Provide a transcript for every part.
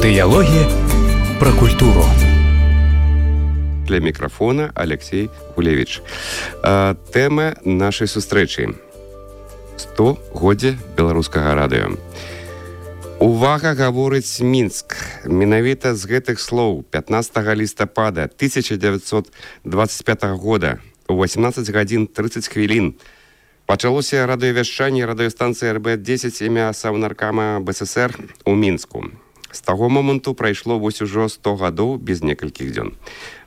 Дыялогі пра культуру. Для мікрафона Алексей Гулевіч. Тэма нашай сустрэчы. 100-годдзе беларускага радыё. Увага, гаворыць Мінск. Менавіта з гэтых слоў 15 лістапада 1925 года у 18 гадзін 30 хвілін пачалося радыёвяшчанне радыёстанцыі РБ-10 імя Саўнаркама БССР у Мінску. З таго моманту прайшло вось ужо 100 гадоў без некалькіх дзён.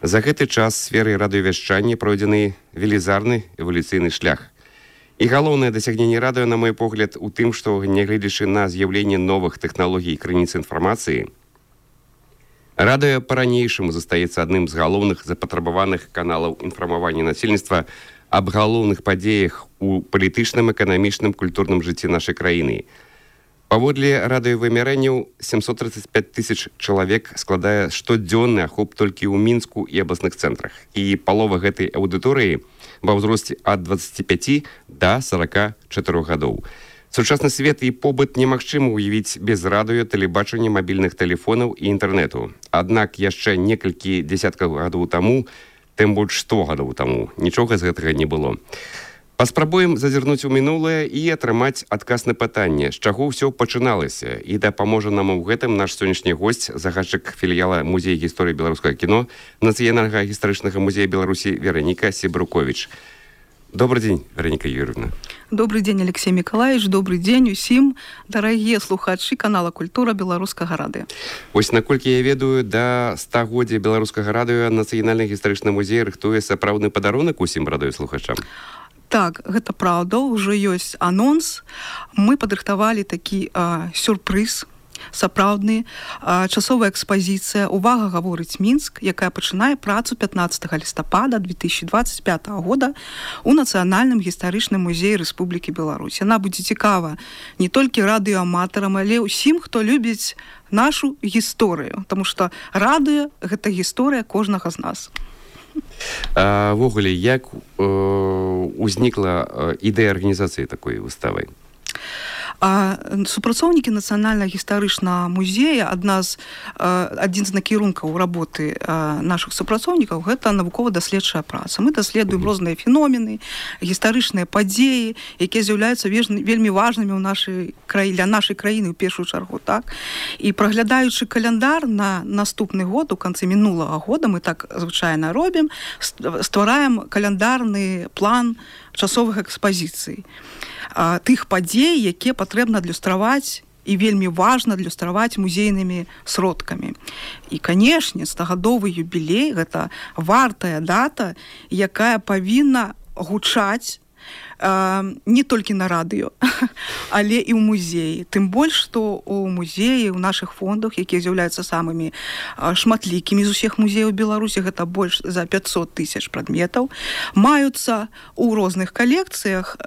За гэты час сферы радыёвяшчання пройдзены велізарны эвалюцыйны шлях. І галоўнае дасягненне радыё, на мой погляд, у тым, што, нягледзячы на з'яўленне новых тэхналогій і крыніц інфармацыі, радыё па-ранейшаму застаецца адным з галоўных запатрабаваных каналаў інфармавання насельніцтва аб галоўных падзеях у палітычным, эканамічным, культурным жыцці нашай краіны. Паводле радыёвымярэнняў 735 тысяч чалавек складае штодзённы ахоп толькі ў Мінску і абласных цэнтрах. І палова гэтай аўдыторыі ва ўзросце ад 25 да 44 гадоў. Сучасны свет і побыт немагчыма ўявіць без радыё, тэлебачання, мабільных тэлефонаў і інтэрнэту. Аднак яшчэ некалькі дзесяткаў гадоў таму, тым больш 100 гадоў таму, нічога з гэтага не было. Паспрабуем зазірнуць у мінулае і атрымаць адказ на пытанне, з чаго ўсё пачыналася. І дапаможа нам у гэтым наш сённяшні госць, загадчык філіяла Музея гісторыі беларускага кіно Нацыянальнага гістарычнага музея Беларусі Вераніка Сібрукowicz. Добрый день, Вераніка Юрьевна. Добрый день, Алексей Миколаевич. Добрый день усім, дарагія слухачы канала «Культура» беларускага радыё. Вось наколькі я ведаю, да 100-годдзя беларускага радыё Нацыянальны гістарычны музей рыхтуе сапраўдны падарунак усім радыёслухачам. Так, гэта праўда, ўжо ёсць анонс. Мы падрыхтавалі такі сюрпрыз, сапраўдны, часовая экспазіцыя «Увага, гаворыць Мінск», якая пачынае працу 15 лістапада 2025 года у Нацыянальным гістарычным музеі Рэспублікі Беларусь. Яна будзе цікава не толькі радыёаматарам, але ўсім, хто любіць нашу гісторыю, таму што радыё – гэта гісторыя кожнага з нас. Ввогуле, як узнікла ідэя арганізацыі такой выставы? Супрацоўнікі Нацыянальнага гістарычнага музея, адзін з накірункаў работы нашых супрацоўнікаў, гэта навукова-даследчая праца. Мы даследуем розныя феномены, гістарычныя падзеі, якія з'яўляюцца вельмі важнымі для нашай краіны ў першую чаргу. Так? І праглядаючы каляндар на наступны год, у канцы мінулага года, мы так звычайна робім, ствараем каляндарны план часовых экспазіцый. Тых падзей, якія патрэбна адлюстраваць і вельмі важна адлюстраваць музейнымі сродкамі. І, канешне, 100-гадовы юбілей – гэта вартая дата, якая павінна гучаць не толькі на радыё, але і ў музеі. Тым больш, што ў музеі, ў нашых фондах, якія з'яўляюцца самымі шматлікімі з усіх музеяў Беларусі, гэта больш за 500 тысяч прадметаў, маюцца ў розных калекцыях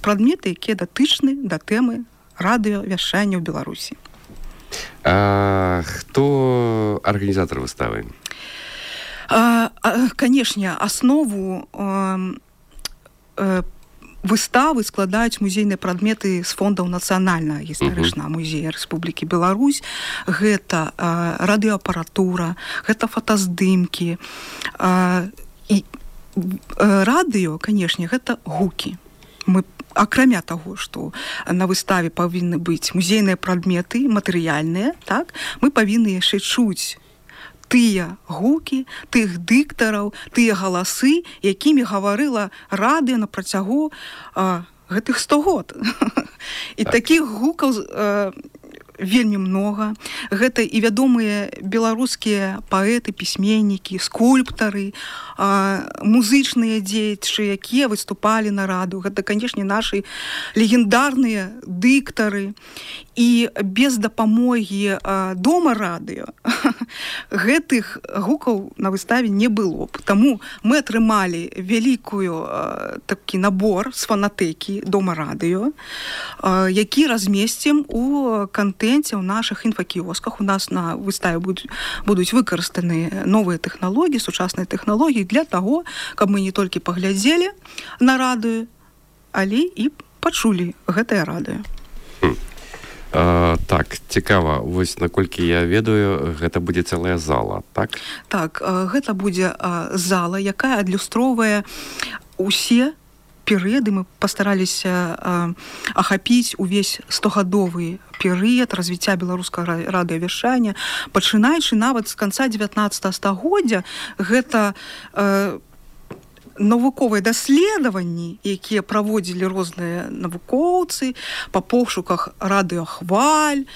прадметы, якія датычны да тэмы радыёвяшчання ў Беларусі. Хто арганізатар выставы? Канешне, аснову выставы складаюць музейныя прадметы з фондаў Нацыянальнага гістарычнага музея Рэспублікі Беларусь. Гэта радыёапаратура, гэта фотаздымкі. І радыё, канешне, гэта гукі. Мы, акрамя таго, што на выставе павінны быць музейныя прадметы, матэрыяльныя, так, мы павінны яшчэ чуць тыя гукі, тых дыктараў, тыя галасы, якімі гаварыла радыё на працягу гэтых 100 год. І такіх гукаў вельмі многа. Гэта і вядомыя беларускія паэты, пісьменнікі, скульптары, музычныя дзеячы, якія выступалі на радыё. Гэта, канешне, нашы легендарныя дыктары. І без дапамогі дома радыё гэтых гукаў на выставе не было б. Таму мы атрымалі вялікую такі набор з фанатэкі дома радыё, які размесцім у кантэнце ў нашых інфакіёсках. У нас на выставе будуць выкарыстаны новыя тэхналогіі, сучасныя тэхналогіі для таго, каб мы не толькі паглядзелі на радыё, але і пачулі гэтае радыё. Так, цікава. Вось, наколькі я ведаю, гэта будзе цэлая зала, так? Так, гэта будзе зала, якая адлюстроўвае усе перыяды. Мы пастараліся ахапіць увесь 100-гадовы перыяд развіцця беларускага радыёвяшчання, пачынаючы нават з канца 19 стагоддзя. Гэта навуковыя даследаванні, якія праводзілі розныя навукоўцы па пошуках радыёхваль,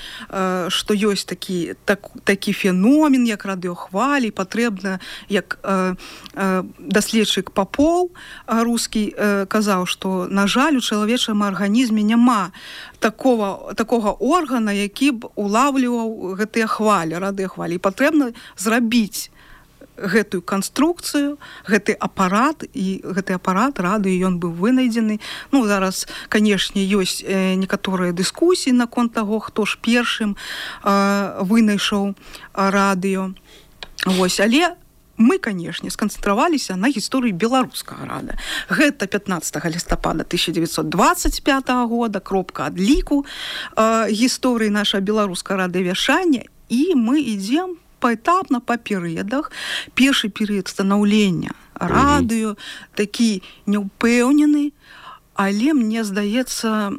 што ёсць такі феномен, як радыёхвалі, патрэбна, як даследчык Папоў рускі казаў, што, на жаль, у чалавечым арганізме няма такога органа, які б улавліваў гэтыя хвалі, радыёхвалі. І патрэбна зрабіць гэтую канструкцыю, гэты апарат, і гэты апарат радыё, ён быў вынайдзены. Ну, зараз, канешне, ёсць некаторыя дыскусіі наконт таго, хто ж першым вынайшоў радыё. Вось, але мы, канешне, сканцэнтраваліся на гісторыі беларускага рада. Гэта 15 лістапада 1925 года, кропка адліку гісторыі нашага беларускага радыёвяшчання, і мы ідзем паэтапна, па перыядах. Першы перыяд станаўлення радыё, такі няўпэўнены, але, мне здаецца,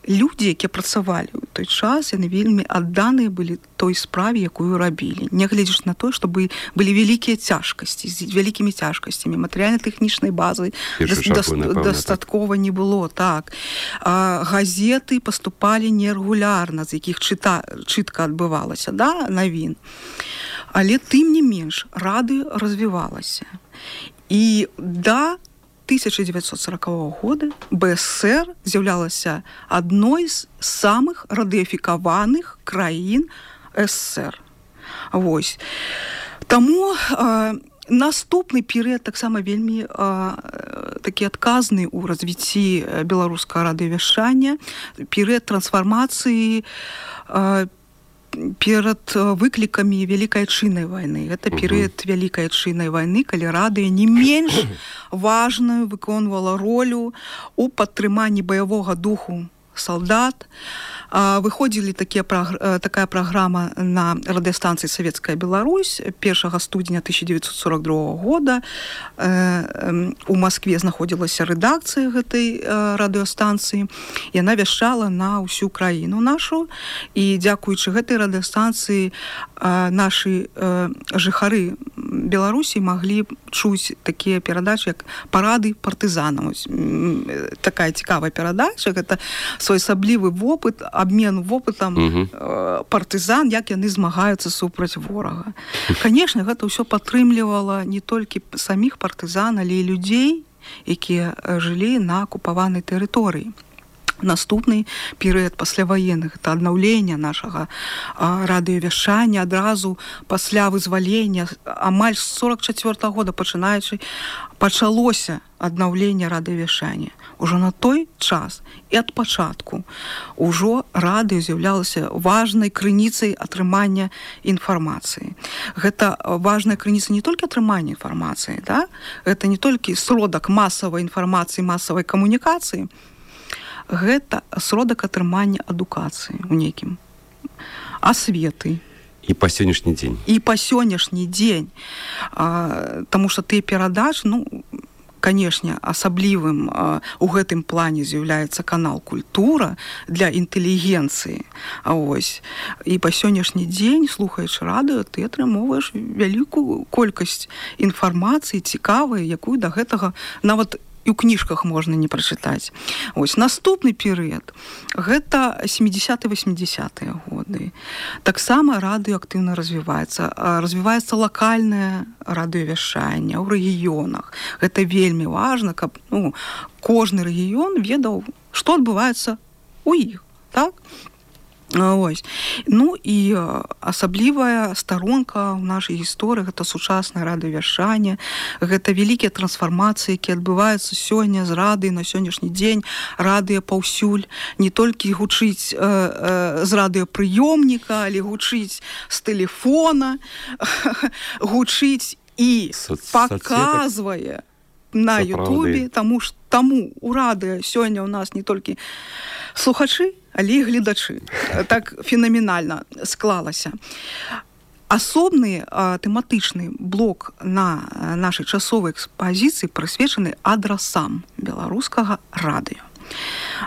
людзі, якія працавалі ў той час, яны вельмі адданыя былі той справе, якую рабілі. Нягледзячы на тое, што былі вялікія цяжкасці, з вялікімі цяжкасцямі, матэрыяльна-тэхнічнай базы дастаткова не было. Так. Газеты паступалі нерэгулярна, з якіх чытка адбывалася, да, навін. Але тым не менш, радыё развівалася. І да 1940 года БСР з'яўлялася адной з самых радыёфікаваных краін ССР. Вось. Таму наступны перыяд таксама вельмі такі адказны ў развіцці беларускага радыёвяшчання, перыяд трансфармацыі перад выклікамі Вялікай Адчыннай вайны. Гэта перыяд Вялікай Адчыннай вайны, калі радыё не менш важную выконвала ролю у падтрыманні баявога духу салдат. Выходзілі такая праграма на радыёстанцыі «Савецкая Беларусь» 1 студзеня 1942 года. У Маскве знаходзілася рэдакцыя гэтай радыёстанцыі. Яна вяшчала на ўсю краіну нашу. І дзякуючы гэтай радыёстанцыі нашы жыхары Беларусі маглі чуць такія перадачы, як «Парады партызанаў». Такая цікавая перадача. Гэта своеасаблівы вопыт, абмен вопытам партызан, як яны змагаюцца супраць ворага. Канешне, гэта ўсё падтрымлівала не толькі саміх партызан, але і людзей, якія жылі на акупаванай тэрыторыі. Наступны перыяд пасляваенных, это аднаўлення нашага радыёвяшчання адразу пасля вызвалення, амаль з 44 года пачалося аднаўленне радыёвяшчання. Ужо на той час і ад пачатку ужо радыё з'яўлялася важнай крыніцай атрымання інфармацыі. Гэта важная крыніца не толькі атрымання інфармацыі, да? Гэта не толькі сродак масавай інфармацыі, масавай камунікацыі, гэта сродак атрымання адукацыі ў нейкім, асветы. І па сённяшні дзень. І па сённяшні дзень. Таму што тыя перадачы, ну, канешне, асаблівым у гэтым плане з'яўляецца канал «Культура» для інтэлігенцыі. Ось. І па сённяшні дзень, слухаючы радыё, ты атрымоўваеш вялікую колькасць інфармацыі цікавай, якую да гэтага нават і ў кніжках можна не прачытаць. Ось, наступны перыяд гэта 70-80-е годы. Таксама радыё актыўна развіваецца. Развіваецца лакальнае радыёвяшчанне ў рэгіёнах. Гэта вельмі важна, каб кожны рэгіён ведаў, што адбываецца ў іх. Так? Ось. Ну і асаблівая старонка ў нашай гісторыі гэта сучаснае радыёвяшчанне, гэта вялікія трансфармацыі, якія адбываюцца сёння з радыё на сённяшні дзень. Радыё паўсюль не толькі гучыць з радыёпрыёмніка, але гучыць з тэлефона, гучыць і паказвае на Ютубе, таму у радыё сёння ў нас не толькі слухачы, але і гледачы. Так фенаменальна склалася. Асобны тэматычны блок на нашай часовай экспазіцыі прысвечаны адрасам беларускага радыё.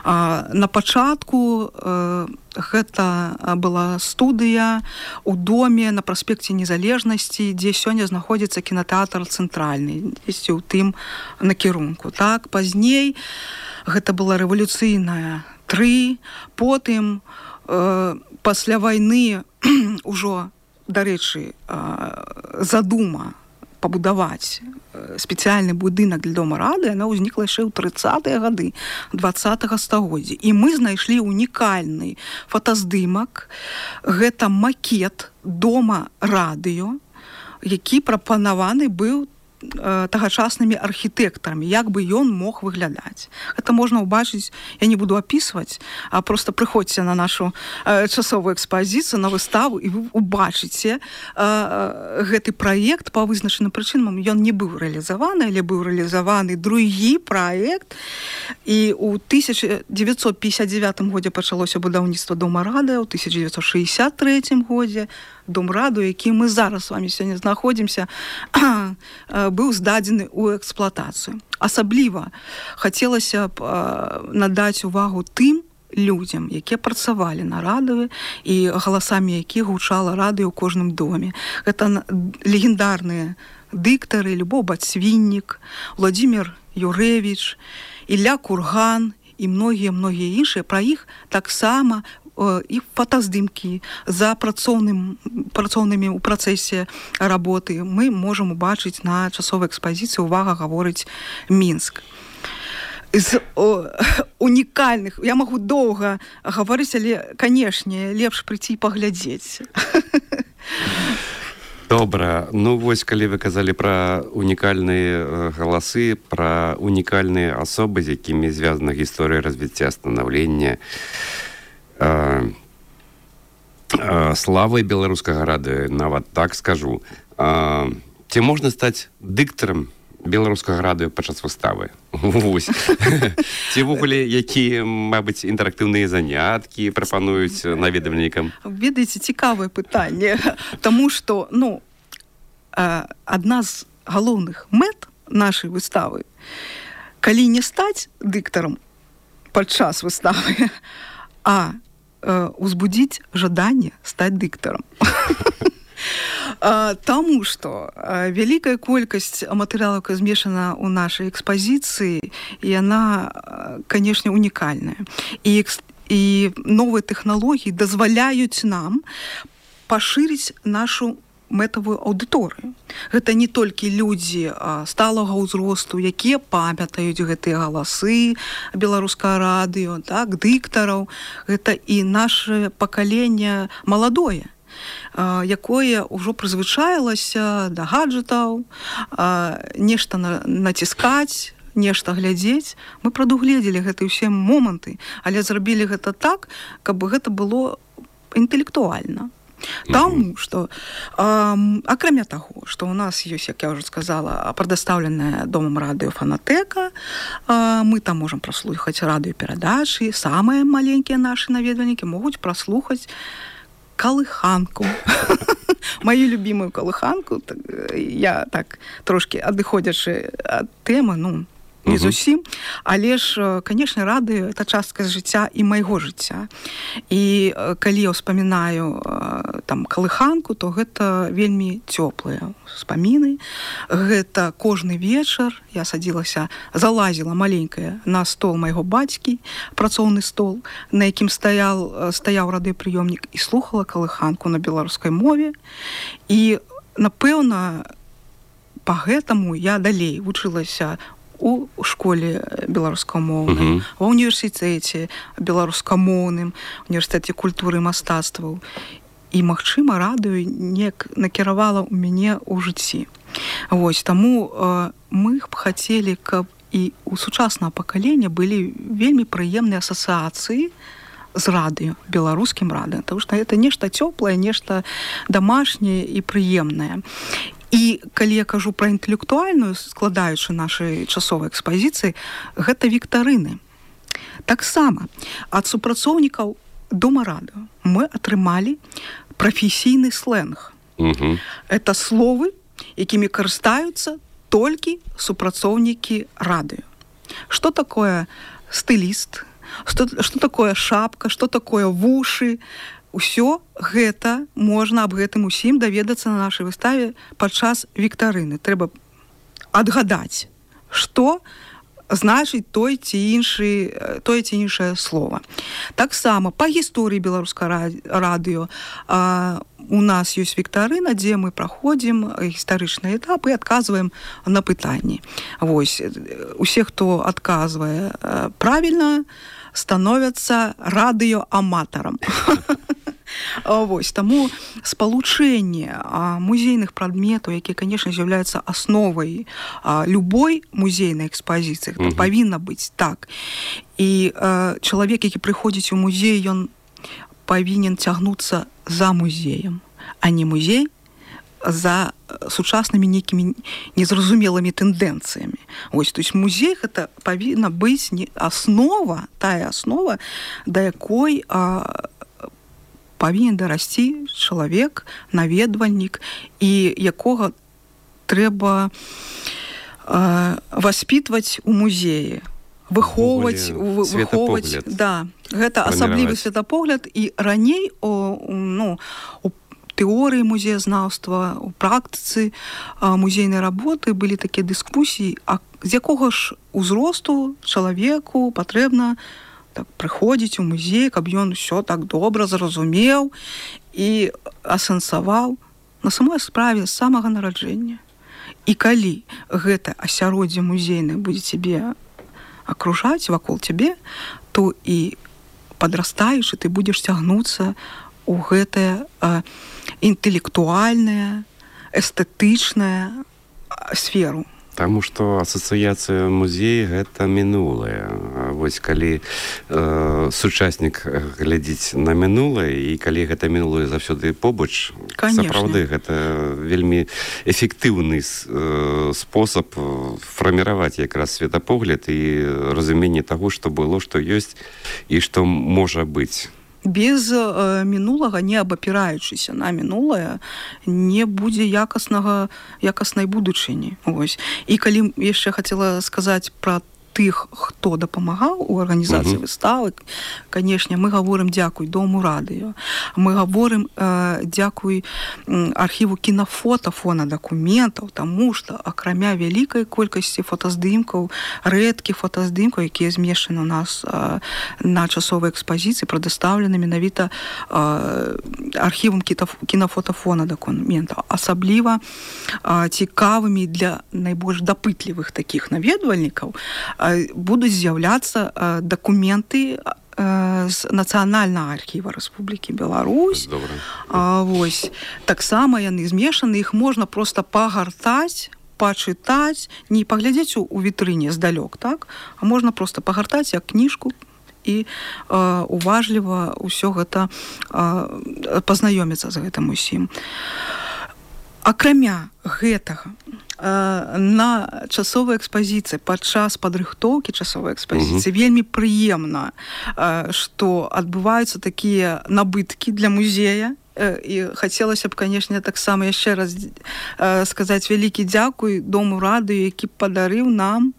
На пачатку гэта была студыя ў доме на праспекце Незалежнасці, дзе сёння знаходзіцца кінатэатр цэнтральны, дзесьці ў тым накірунку. Так, пазней гэта была рэвалюцыйная 3, потым пасля вайны ўжо, дарэчы, задума пабудаваць спецыяльны будынак для дома рады, яна ўзнікла яшчэ ў 30-е гады 20-го стагоддзя. І мы знайшлі унікальны фотаздымак. Гэта макет дома радыё, які прапанаваны быў тагачаснымі архітэктарамі, як бы ён мог выглядаць. Гэта можна ўбачыць, я не буду апісваць, а просто прыходзьце на нашу часовую экспазіцыю, на выставу, і вы ўбачыце гэты праект па вызначаным прычынам. Ён не быў рэалізаваны, але быў рэалізаваны другі праект, і ў 1959 годзе пачалося будаўніцтва дома радыё, у 1963 годзе дом радыё, які мы зараз з вами сёння знаходзімся, быў здадзены ў эксплуатацыю. Асабліва хацелася б надаць увагу тым людзям, якія працавалі на радыё і галасамі якіх гучала радыё ў кожным доме. Гэта легендарныя дыктары Любоў Бацвіннік, Владзімір Юрэвіч, Ілля Курган і многія іншыя. Пра іх таксама і фотаздымкі за працоўнымі ў працэсе работы мы можам убачыць на часовай экспазіцыі «Увага, гаворыць Мінск». З унікальных, я магу доўга гаварыць, але, канешне, лепш прыйти і паглядзець. Добра. Ну, вось, калі вы казалі пра унікальныя галасы, пра унікальныя асобы, з якімі звязана гісторыя развіцця, станаўлення, славай беларускага радыё, нават так скажу. Ці можна стаць дыктарам беларускага радыё падчас выставы? Вось. Ці ввогуле якія, мабыць, інтэрактыўныя заняткі прапануюць наведвальнікам? Ведаеце, цікавае пытанне, таму што, адна з галоўных мэт нашай выставы, калі не стаць дыктарам падчас выставы, а узбудзіць жаданне стаць дыктарам. Таму што вялікая колькасць матэрыялаў, якая змешана ў нашай экспазіцыі, яна, канешне, унікальная. І новыя тэхналогіі дазваляюць нам пашырыць нашу мэтавую аўдыторыю. Гэта не толькі людзі сталага ўзросту, якія памятаюць гэтыя галасы беларускага радыё, так, дыктараў. Гэта і наше пакаленне маладое, якое ўжо прызвычаілася да гаджэтаў, нешта націскаць, нешта глядзець. Мы прадугледзелі гэтыя ўсе моманты, але зрабілі гэта так, каб гэта было інтэлектуальна. Таму што, акрамя таго, што ў нас ёсць, як я ўжо сказала, прадастаўленая домам радыё фанатэка, мы там можам праслухаць радыёперадачы, самыя маленькія нашы наведвальнікі могуць праслухаць калыханку. Маю любімую калыханку, я так трошкі адыходзячы ад тэмы, не зусім, але ж, канешне, радыё — это частка жыцця і майго жыцця. І калі я ўспамінаю там калыханку, то гэта вельмі цёплыя ўспаміны. Гэта кожны вечар я садзілася, залазіла маленькая на стол майго бацькі, працоўны стол, на якім стаяў радыёпрыёмнік, і слухала калыханку на беларускай мове. І, напэўна, па гэтаму я далей вучылася у школе беларускамоўнай, ва ўніверсітэце беларускамоўным, універсітэце культуры і мастацтваў. І, магчыма, радыё неяк накіравала ў мяне ў жыцці. Вось, таму мы б хацелі, каб і у сучаснага пакалення былі вельмі прыемныя асацыяцыі з радыё, беларускім радыё, таму што гэта нешта цёплае, нешта дамашняе і прыемнае. І калі я кажу пра інтэлектуальную, складаючы нашай часовай экспазіцыі, гэта віктарыны. Таксама ад супрацоўнікаў Дома радыё мы атрымалі прафесійны сленг. Это словы, якімі карыстаюцца толькі супрацоўнікі радыё. Што такое стыліст, што такое шапка, што такое вушы. Усё гэта можна аб гэтым усім даведацца на нашай выставе падчас віктарыны. Трэба адгадаць, што значыць тое ці іншае слова. Таксама па гісторыі беларускага радыё у нас ёсць віктарына, дзе мы праходзім гістарычныя этапы і адказваем на пытанні. Вось, усе, хто адказвае правільна, становяцца радыёаматарам. Вось, таму спалучэнне музейных прадметаў, якія, канешне, з'яўляюцца асновай любой музейнай экспазіцыі, павінна быць так. І чалавек, які прыходзіць у музей, ён павінен цягнуцца за музеем, а не музей за сучаснымі нейкімі незразумелымі тэндэнцыямі. Вось, то есть музей гэта павінна быць аснова, тая аснова, да якой павінен дарасці чалавек, наведвальнік, і якога трэба васпітваць у музеі, выхоўваць, да, гэта асаблівы светапогляд. І раней у тэорыі музеязнаўства, у практыцы музейнай работы былі такія дыскусіі, з якога ж узросту чалавеку патрэбна так прыходзіць у музей, каб ён усё так добра зразумеў і асэнсаваў на самой справе з самага нараджэння. І калі гэта асяроддзе музейнае будзе цябе акружаць вакол цябе, то і падрастаючы ты будзеш цягнуцца у гэтае інтэлектуальнае, эстэтычнае сферу. Таму што асацыяцыя музея гэта мінулае. Вось калі сучаснік глядзіць на мінулае, і калі гэта мінулае заўсёды побач, сапраўды гэта вельмі эфектыўны спосаб фарміраваць якраз светапогляд і разуменне таго, што было, што ёсць і што можа быць. Без мінулага, не абапіраючыся на мінулае, не будзе якаснай будучыні. Ось. І калі яшчэ хацела сказаць пра тых, хто дапамагаў у арганізацыі выставы, канешне, мы гаворым дзякуй Дому радыё, мы гаворым дзякуй архіву кінафота, фонадакументаў, таму што акрамя вялікай колькасці фотаздымкаў, рэдкіх фотаздымкаў, якія змешчаны у нас на часовай экспазіцыі, прадастаўлены менавіта архівам кінафотафонадакументаў, асабліва цікавымі для найбольш дапытлівых такіх наведвальнікаў будуць з'яўляцца дакументы з Нацыянальнага архіва Рэспублікі Беларусь. Вось. Таксама яны змешаны, іх можна проста пагартаць, пачытаць, не паглядзець у вітрыне здалёк, так? А можна проста пагартаць як кніжку і уважліва ўсё гэта пазнаёміцца з гэтым усім. Акрамя гэтага, на часовай экспазіцыі, падчас падрыхтоўкі часовай экспазіцыі вельмі прыемна, што адбываюцца такія набыткі для музея. І хацелася б, канешне, таксама яшчэ раз сказаць вялікі дзякуй Дому радыё, які падарыў нам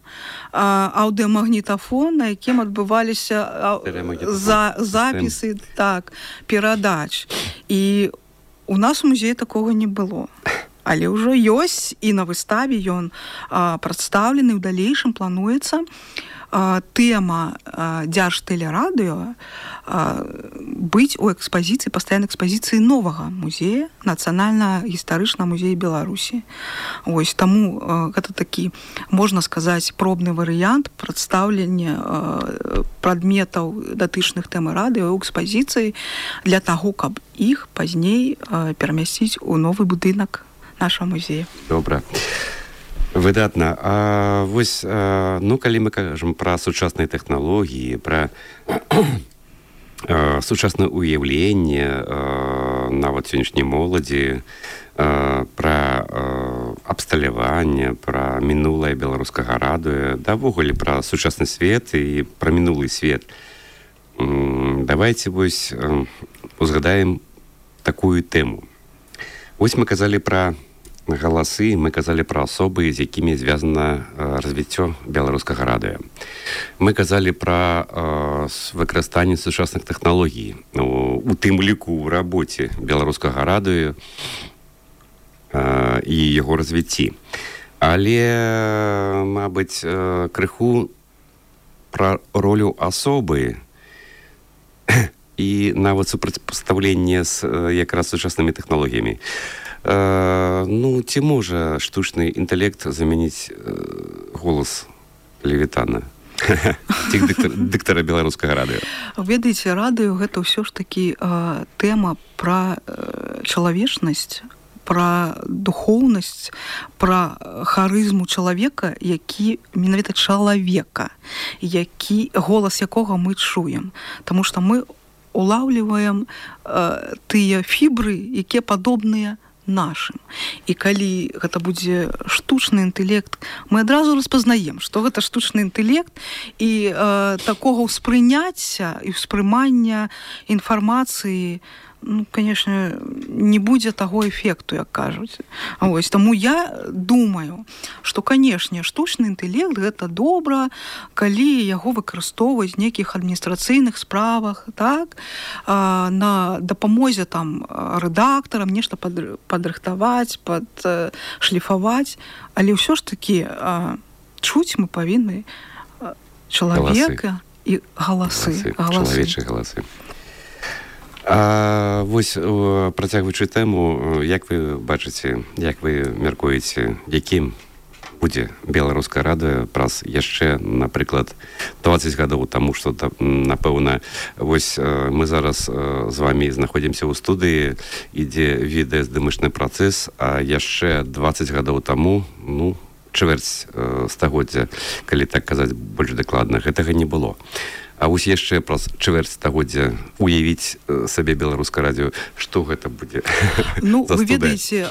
аўдыамагнітафон, на якім адбываліся запісы перадач. І у нас у музеі такога не было. Але ўжо ёсць, і на выставе ён прадстаўлены, ў далейшым плануецца тэма дзяржтэлерадыё быць у экспазіцыі, пастаяннай экспазіцыі новага музея, Нацыянальна-гістарычнага музея Беларусі. Вось, таму гэта такі, можна сказаць, пробны варыянт прадстаўлення прадметаў датычных тэмы радыё ў экспазіцыі для таго, каб іх пазней перамясціць у новы будынак нашего музея. Добра. Выдатна. Вось, калі мы кажам пра сучасныя тэхналогіі, пра сучаснае ўяўленне нават сённяшняй моладзі, пра абсталяванне, пра мінулае беларускага радыё, давогуле пра сучасны свет і пра мінулы свет. Давайте вось узгадаем такую тэму. Вось мы казалі пра галасы, мы казалі пра асобы, з якімі звязана развіццё беларускага радыё. Мы казалі пра выкарыстанне сучасных тэхналогій, у тым ліку ў рабоце беларускага радыё і яго развіцці. Але, мабыць, крыху пра ролю асобы і нават супрацьпастаўленне з якраз сучаснымі тэхналогіямі. Ці можа штучны інтэлект замяніць голас Левітана? Ці дыктара беларускага радыё? Ведаеце, радыё гэта ўсё ж такі тэма пра чалавечнасць, пра духоўнасць, пра харызму чалавека, які менавіта чалавека, голас якога мы чуем. Таму што мы улаўліваем тыя фібры, якія падобныя нашым. І калі гэта будзе штучны інтэлект, мы адразу распазнаем, што гэта штучны інтэлект, і такога ўспрыняцця і ўспрымання інфармацыі, конечно, не будзе таго эфекту, як кажуць. Вось, таму я думаю, што, канешне, штучны інтэлект гэта добра, калі яго выкарыстоўваюць в нейкіх адміністрацыйных справах, так, на дапамозе там рэдактарам нешта падрыхтаваць, падшліфаваць, але ўсё ж такі чуць мы павінны чалавека і галасы. Чалавечыя галасы. Вось, працягваючы тэму, як вы бачыце, як вы мяркуеце, якім будзе беларускае радыё праз яшчэ, напрыклад, 20 гадоў, таму што, напэўна, вось мы зараз з вамі знаходзімся ў студыі, ідзе відэаздымачны працэс, а яшчэ 20 гадоў таму, чвэрць стагоддзя, калі так казаць больш дакладна, гэтага не было. А вось яшчэ праз чвэрць стагоддзя уявіць сабе беларускае радыё, што гэта будзе за студыя? Вы ведаеце,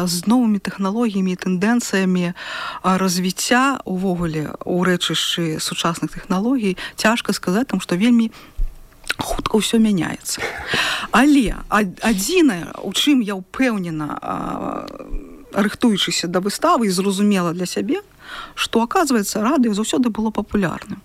з новымі тэхналогіямі і тэндэнцыямі развіцця увогуле ў рэчышчы сучасных тэхналогій цяжка сказаць, таму што вельмі хутка ўсё мяняецца. Але адзінае, у чым я ўпэўнена, рыхтуючыся да выставы і зразумела для сябе, што, аказваецца, радыё заўсёды было папулярным.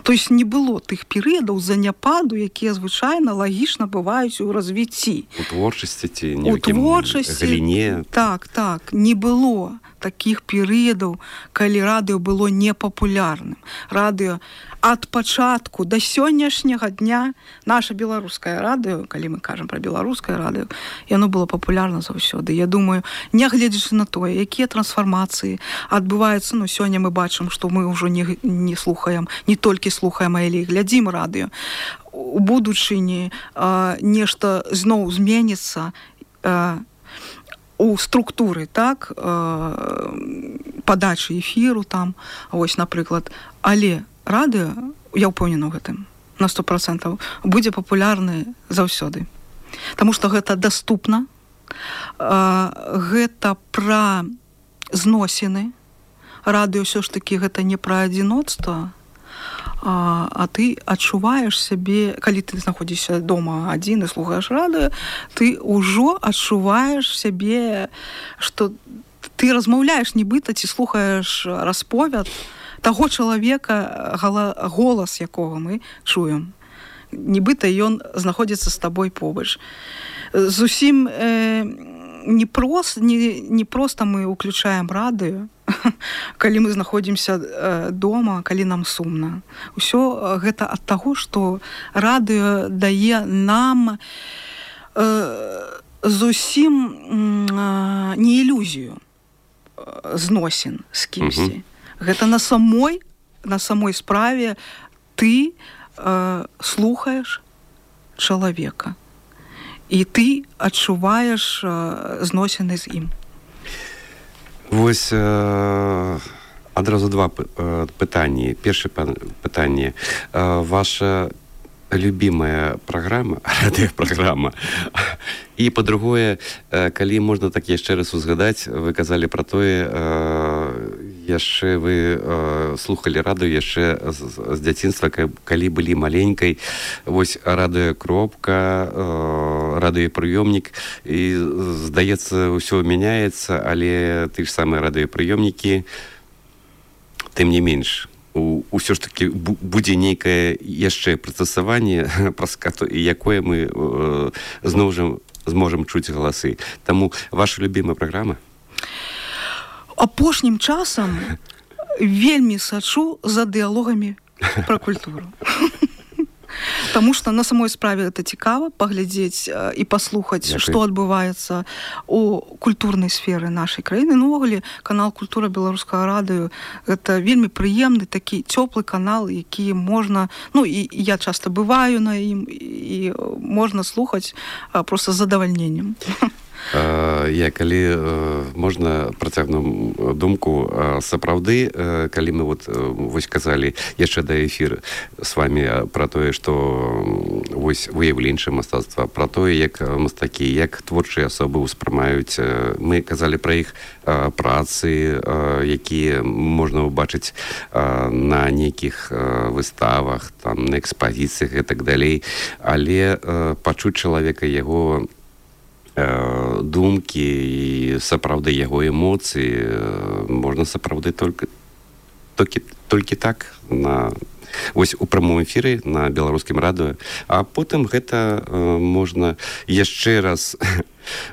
То есть не было тых перыядаў заняпаду, якія звычайна лагічна бываюць у развіцці. У творчасці ці нейкім галіне. Так, не было такіх перыядаў, калі радыё было непапулярным. Радыё ад пачатку да сённяшняга дня, наша беларускае радыё, калі мы кажам пра беларускае радыё, яно было папулярна заўсёды. Я думаю, нягледзячы на тое, якія трансфармацыі адбываюцца, сёння мы бачым, што мы ўжо не слухаем, не толькі слухаем, але і глядзім радыё. У будучыні нешта зноў зменіцца у структуры, так, падачы эфіру там, вось, напрыклад. Але радыё, я ўпэўнена ў гэтым, на 100%, будзе папулярны заўсёды. Таму што гэта даступна, гэта пра зносіны. Радыё ўсё ж такі гэта не пра адзіноцтва, а ты адчуваеш сябе, калі ты знаходзішся дома адзін і слухаеш радыё, ты ўжо адчуваеш сябе, што ты размаўляеш нібыта ці слухаеш расповяд таго чалавека, голас якога мы чуем. Нібыта ён знаходзіцца з табой побач. Зусім не проста мы ўключаем радыё, калі мы знаходзімся дома, калі нам сумна. Усё гэта ад таго, што радыё дае нам зусім не ілюзію зносін з кімсьці. Гэта на самой справе ты слухаеш чалавека. І ты адчуваеш зносіны з ім. Вось адразу два пытанні. Першае пытанне. Ваша любимая праграма, радыёпраграма, І па-другое, калі можна так яшчэ раз узгадаць, вы казалі пра тое, яшчэ вы слухалі радыё яшчэ з дзяцінства, калі былі маленькай. Вось радыёкропка, радыёпрыёмнік, і, здаецца, ўсё мяняецца, але ты ж самыя радыёпрыёмнікі, тым не менш, ўсё ж такі будзе нейкае яшчэ прыстасаванне, праз якое мы зноў жа зможам чуць галасы. Таму ваша любімая праграма? Апошнім часам вельмі сачу за дыялогамі пра культуру. Таму што на самой справе гэта цікава паглядзець і паслухаць, што адбываецца у культурнай сферы нашай краіны. Ну, увогуле, канал «Культура» Беларускага радыё — гэта вельмі прыемны такі цёплы канал, які можна, ну, і я часта бываю на ім, і можна слухаць проста з задавальненнем. Я, калі можна працягну думку, сапраўды, калі мы вось казалі яшчэ да эфіру з вами пра тое, што вось выяўленчае мастацтва, пра тое, як мастакі, як творчыя асобы ўспрымаюць, мы казалі пра іх працы, якія можна ўбачыць на нейкіх выставах, там, на экспазіцыях і так далей, але пачуць чалавека, яго думкі і сапраўды яго эмоцыі можна сапраўды толькі так вось у прамым эфіры на беларускім радыё, а потым гэта можна яшчэ раз,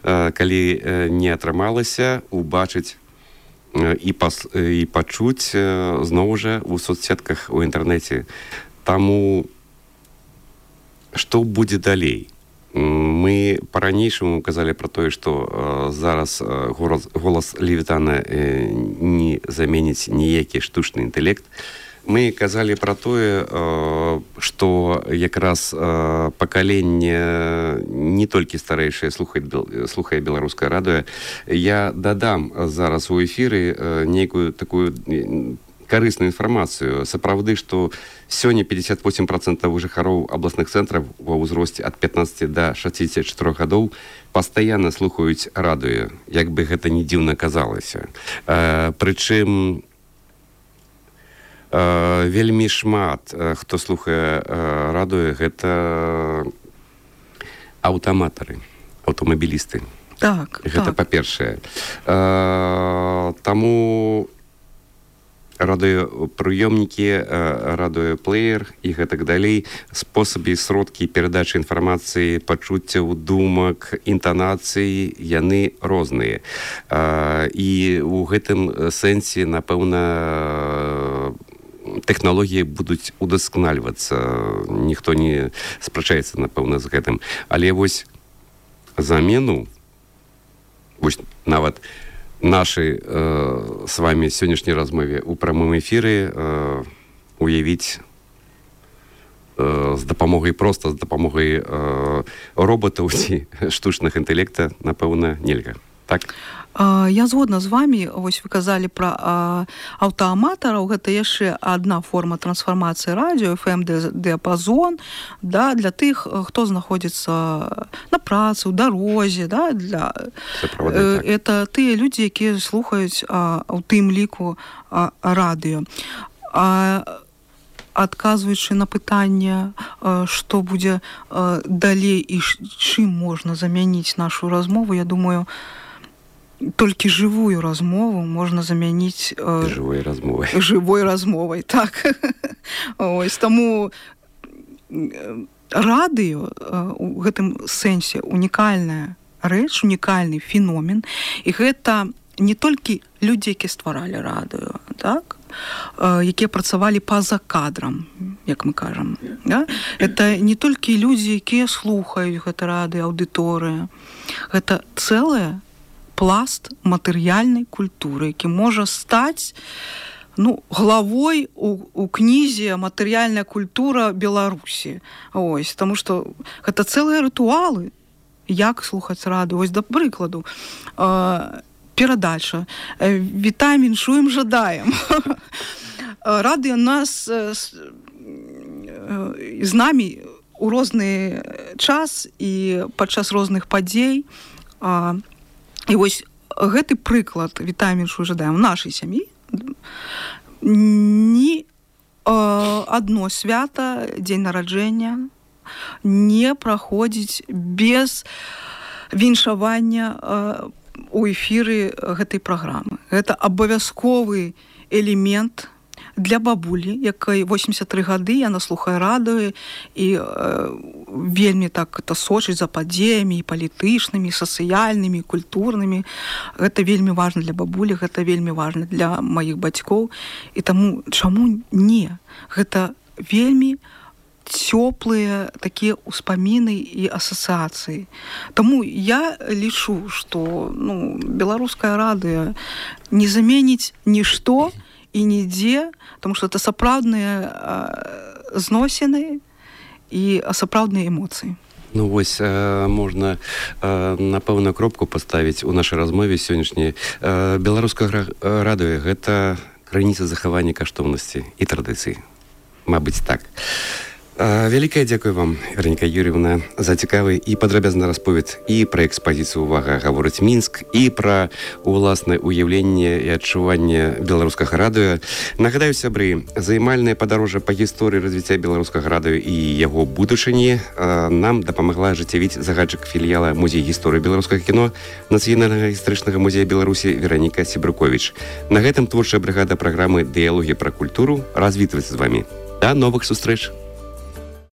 калі не атрымалася, убачыць і пачуць зноў жа у соцсетках, у інтэрнэце. Таму што будзе далей? Мы па-ранейшаму казалі пра тое, што зараз голас Левітана не заменіць ніякі штучны інтэлект. Мы казалі пра тое, што якраз пакаленне не толькі старэйшае слухае беларускае радыё. Я дадам зараз у эфіры нейкую такую карысную інфармацыю. Сапраўды, што сёння 58% жыхароў абласных цэнтраў ва ўзросце ад 15 да 64 гадоў пастаянна слухаюць радыё, як бы гэта не дзіўна казалася. Прычым вельмі шмат хто слухае радыё, гэта аўтаматары, аўтамабілісты. Так, гэта па-першае. Таму радыёпрыёмнікі, радыёплеер і гэтак далей, спосабы, сродкі перадачы інфармацыі, пачуццяў, думак, інтанацыі, яны розныя. І ў гэтым сэнсе, напэўна, тэхналогіі будуць удасканальвацца. Ніхто не спрачаецца, напэўна, з гэтым. Але вось замену, вось нават нашай з вами сённяшняй размове ў прамым эфіры уявіць з дапамогай роботаў ці штучных інтэлекта, напэўна, нельга. Так? Я згодна з вами. Вось вы казалі пра аўтааматараў. Гэта яшчэ адна форма трансфармацыі радыё, FM-дыяпазон, да, для тых, хто знаходзіцца на працы, у дарозе, да, это тыя людзі, якія слухаюць у тым ліку радыё. Адказваючы на пытанне, што будзе далей і чым можна замяніць нашу размову, я думаю, толькі жывую размову можна замяніць жывой размовай. Так. Ось, таму радыё у гэтым сэнсе унікальная рэч, унікальны феномен, і гэта не толькі людзі, якія стваралі радыё, так, якія працавалі па-за кадрам, як мы кажам. Да? Это не толькі людзі, якія слухаюць гэта радыё, аўдыторыя. Гэта цэлая пласт матэрыяльнай культуры, які можа стаць главой у кнізе «Матэрыяльная культура Беларусі». Ось, таму што гэта цэлыя рытуалы, як слухаць радыё. Ось, да прыкладу, перадача «Вітаем, віншуем, жадаем». Радыё нас з намі у розны час і падчас розных падзей. І вось гэты прыклад вітаем іншую жадаем у нашай сям'і. Ні адно свята, дзень нараджэння не праходзіць без віншавання у эфіры гэтай праграмы. Гэта абавязковы элемент для бабулі, якой 83 гады, яна слухае радыё і вельмі так это сочыць за падзеямі і палітычнымі, і сацыяльнымі, і культурнымі. Гэта вельмі важна для бабулі, гэта вельмі важна для маіх бацькоў. І таму чаму не? Гэта вельмі цёплыя такія ўспаміны і асацыяцыі. Таму я лічу, што беларускае радыё не заменіць нішто і нідзе, тому што это сапраўдныя зносіны і сапраўдныя эмоцыі. Ну вось можна на пэўную кропку паставіць у нашай размове сённяшняй. Беларускае радыё гэта крыніца захавання каштоўнасці і традыцый. Мабыць, так. Вялікае дзякуй вам, Вераніка Юр'евна, за цікавы і падрабязны расповед і пра экспазіцыю «Увага, гаворыць Мінск», і пра уласнае уяўленне і адчуванне беларускага радыё. Нагадаю, сябры, займальнае падарожжа па гісторыі развіцця беларускага радыё і яго будучыні нам дапамагла ажыццявіць загадчык філіяла Музея гісторыі беларускага кіно Нацыянальнага гістарычнага музея Беларусі Вераніка Сібрыковіч. На гэтым творчая брыгада праграмы «Дыялогі пра культуру» развітваецца з вамі. Да новых сустрэч!